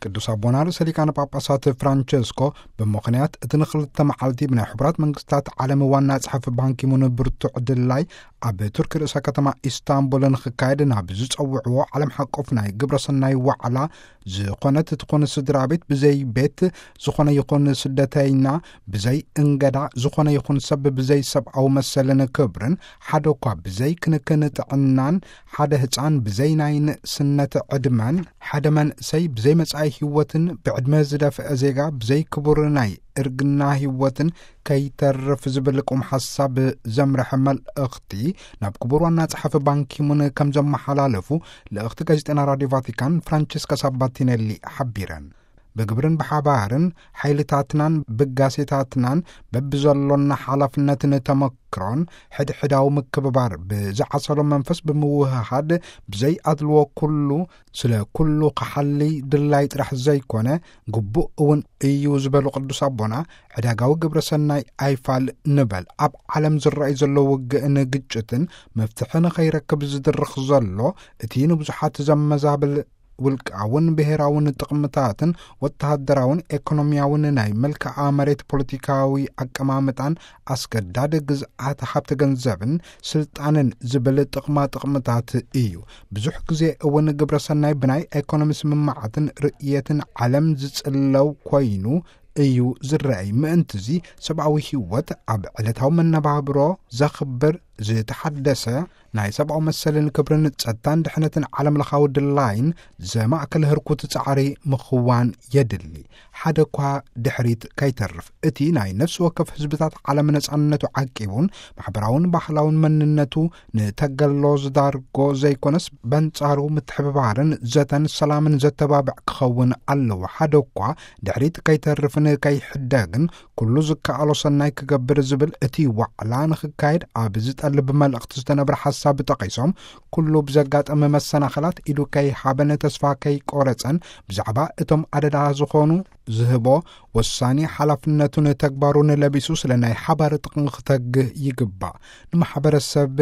ቅዱስ ኣቦና ርእሰ ሊቃነ ጳጳሳት ፍራንቸስኮ ብምኽንያት እቲ ንኽልተ መዓልቲ ብናይ ሕቡራት መንግስታት ዓለም ዋና ጸሓፊ ባንኪሙን ብርቱዕ ድላይ ኣብ ቱርኪ ርእሰ ከተማ ኢስታንቡል ንኽካየድ ናብ ዝጸውዕዎ ዓለም ሓቆፍ ናይ ግብረ ሰናይ ዋዕላ፣ ዝኾነት ትኹን ስድራ ቤት ብዘይ ቤት፣ ዝኾነ ይኹን ስደተይና ብዘይ እንገዳ፣ ዝኾነ ይኹን ሰብ ብዘይ ሰብኣዊ መሰልን ክብርን፣ ሓደ እኳ ብዘይ ክንክን ጥዕናን፣ ሓደ ህፃን ብዘይ ናይ ንእስነት ዕድመን፣ ሓደ መንእሰይ ብዘይ መጻኢ ህይወትን፣ ብዕድመ ዝደፍአ ዜጋ ብዘይ ክቡር ናይ እርግና ህይወትን ከይተርፍ ዝብል ቁም ሓሳብ ዘምርሐ መልእኽቲ ናብ ክቡር ዋና ጸሓፊ ባንኪሙን ከም ዘመሓላለፉ ልእኽቲ ጋዜጠና ራዲዮ ቫቲካን ፍራንቸስካ ሳባቲኔሊ ሓቢረን። ብግብርን ብሓባርን ሓይልታትናን ብጋሴታትናን በብዘሎና ሓላፍነትን ተመክሮን ሕድሕዳዊ ምክብባር ብዝዓሰሎ መንፈስ ብምውህሃድ ብዘይ ኣድልዎ ኩሉ ስለ ኩሉ ክሓሊ ድላይ ጥራሕ ዘይኮነ ግቡእ እውን እዩ ዝበሉ ቅዱስ ኣቦና፣ ዕዳጋዊ ግብረ ሰናይ ኣይፋል ንበል። ኣብ ዓለም ዝረኣይ ዘሎ ውግእን ግጭትን መፍትሒ ንኸይረክብ ዝድርኽ ዘሎ እቲ ንብዙሓት ዘመዛብል ውልቃውን ብሔራውን ጥቕምታትን ወተሃደራውን ኤኮኖሚያውን ናይ መልክዓ መሬት ፖለቲካዊ ኣቀማምጣን ኣስገዳድ ግዝኣት ሃብተ ገንዘብን ስልጣንን ዝብል ጥቕማ ጥቕምታት እዩ። ብዙሕ ግዜ እውን ግብረ ሰናይ ብናይ ኤኮኖሚ ስምምዓትን ርእየትን ዓለም ዝጽለው ኮይኑ እዩ ዝረኣይ። ምእንትዚ ሰብኣዊ ህይወት ኣብ ዕለታዊ መነባብሮ ዘኽብር ዝተሓደሰ ናይ ሰብኣዊ መሰልን ክብርን ጸጥታን ድሕነትን ዓለም ለኻዊ ድላይን ዘማእከል ህርኩት ጻዕሪ ምኽዋን የድሊ። ሓደ እኳ ድሕሪት ከይተርፍ እቲ ናይ ነፍሲ ወከፍ ህዝብታት ዓለም ነጻነቱ ዓቂቡን ማሕበራውን ባህላውን መንነቱ ንተገሎ ዝዳርጎ ዘይኮነስ በንጻሩ ምትሕብባርን ዘተን ሰላምን ዘተባብዕ ክኸውን ኣለዎ። ሓደ እኳ ድሕሪት ከይተርፍን ከይሕደግን ኩሉ ዝከኣሎ ሰናይ ክገብር ዝብል እቲ ዋዕላ ንኽካየድ ኣብ ዝጠልብ መልእኽቲ ዝተነብረ ሓሳብ ጠቒሶም፣ ኩሉ ብዘጋጠመ መሰናኸላት ኢዱ ከይሃበን ተስፋ ከይቆረጸን ብዛዕባ እቶም ኣደዳ ዝኾኑ ዝህቦ ወሳኒ ሓላፍነቱን ተግባሩን ለቢሱ ስለ ናይ ሓባር ጥቕሚ ክተግህ ይግባእ። ንማሕበረሰብ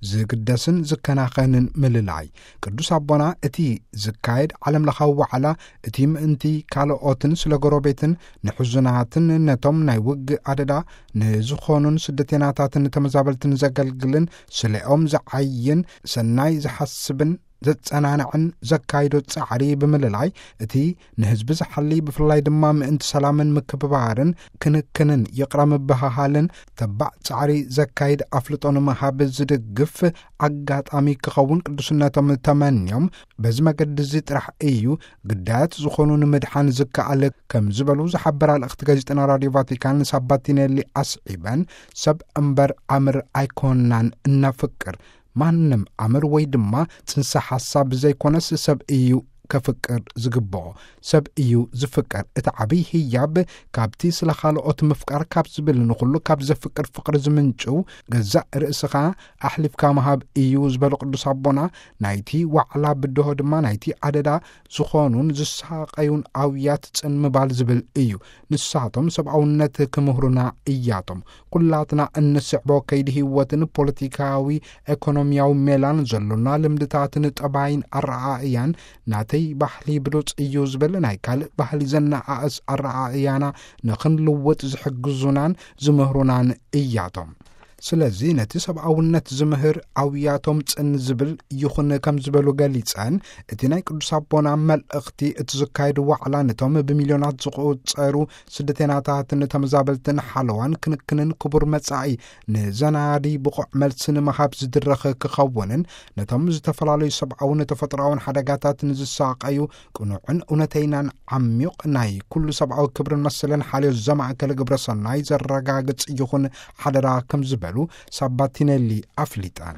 ዝግደስን ዝከናኸንን ምልላይ። ቅዱስ ኣቦና እቲ ዝካየድ ዓለም ለኻዊ ዋዕላ እቲ ምእንቲ ካልኦትን ስለ ጎረቤትን ንሕዙናትን ነቶም ናይ ውግእ ኣደዳ ንዝኾኑን ስደተናታትን ተመዛበልትን ዘገልግልን ስለኦም ዝዓይን ሰናይ ዝሓስብን ዘጸናንዕን ዘካይዶ ጻዕሪ ብምልላይ እቲ ንህዝቢ ዝሓሊ ብፍላይ ድማ ምእንቲ ሰላምን ምክብባርን ክንክንን ይቕረ ምብህሃልን ተባዕ ጻዕሪ ዘካይድ ኣፍልጦ ንምሃብ ዝድግፍ ኣጋጣሚ ክኸውን ቅዱስነቶም ተመንዮም፣ በዚ መገዲ እዚ ጥራሕ እዩ ግዳያት ዝኾኑ ንምድሓን ዝከኣል ከም ዝበሉ ዝሓበራ ልእኽቲ ጋዜጠና ራዲዮ ቫቲካን ሳባቲኔሊ ኣስዒበን፣ ሰብ እምበር ኣምር ኣይኮንናን እነፍቅር፣ ማንም ኣምር ወይ ድማ ጽንሰ ሓሳብ ዘይኮነስ ሰብ እዩ ከፍቅር ዝግብኦ፣ ሰብ እዩ ዝፍቀር። እቲ ዓብይ ህያብ ካብቲ ስለ ካልኦት ምፍቃር ካብ ዝብል ንኹሉ ካብ ዘፍቅር ፍቅሪ ዝምንጭው ገዛእ ርእስኻ ኣሕሊፍካ ምሃብ እዩ ዝበሉ ቅዱስ ኣቦና፣ ናይቲ ዋዕላ ብድሆ ድማ ናይቲ ኣደዳ ዝኾኑን ዝሳቐዩን ኣውያት ጽን ምባል ዝብል እዩ። ንሳቶም ሰብኣውነት ክምህሩና እያቶም። ኩላትና እንስዕቦ ከይዲ ህይወትን ፖለቲካዊ ኤኮኖሚያዊ ሜላን ዘሎና ልምድታትን ጠባይን ኣረኣእያን ናተይ ባህሊ ብሉጽ እዩ ዝብል ናይ ካልእ ባህሊ ዘነኣእስ ኣረኣእያና ንኽንልውጥ ዝሕግዙናን ዝምህሩናን እያቶም። ስለዚ ነቲ ሰብኣውነት ዝምህር ኣውያቶም ጽን ዝብል ይኹን ከም ዝበሉ ገሊጸን፣ እቲ ናይ ቅዱስ ኣቦና መልእኽቲ እቲ ዝካየድ ዋዕላ ነቶም ብሚልዮናት ዝቑጸሩ ስደተናታትን ተመዛበልትን ሓለዋን ክንክንን ክቡር መጻኢ ንዘናዲ ብቑዕ መልሲ ንምሃብ ዝድረኽ ክኸውንን፣ ነቶም ዝተፈላለዩ ሰብኣውን ተፈጥሮኣውን ሓደጋታት ንዝሳቐዩ ቅኑዕን እውነተይናን ዓሚቕ ናይ ኩሉ ሰብኣዊ ክብርን መሰልን ሓልዮት ዘማእከለ ግብረ ሰናይ ዘረጋግጽ ይኹን ሓደራ ከም ዝበሉ ሳባቲኔሊ ኣፍሊጠን።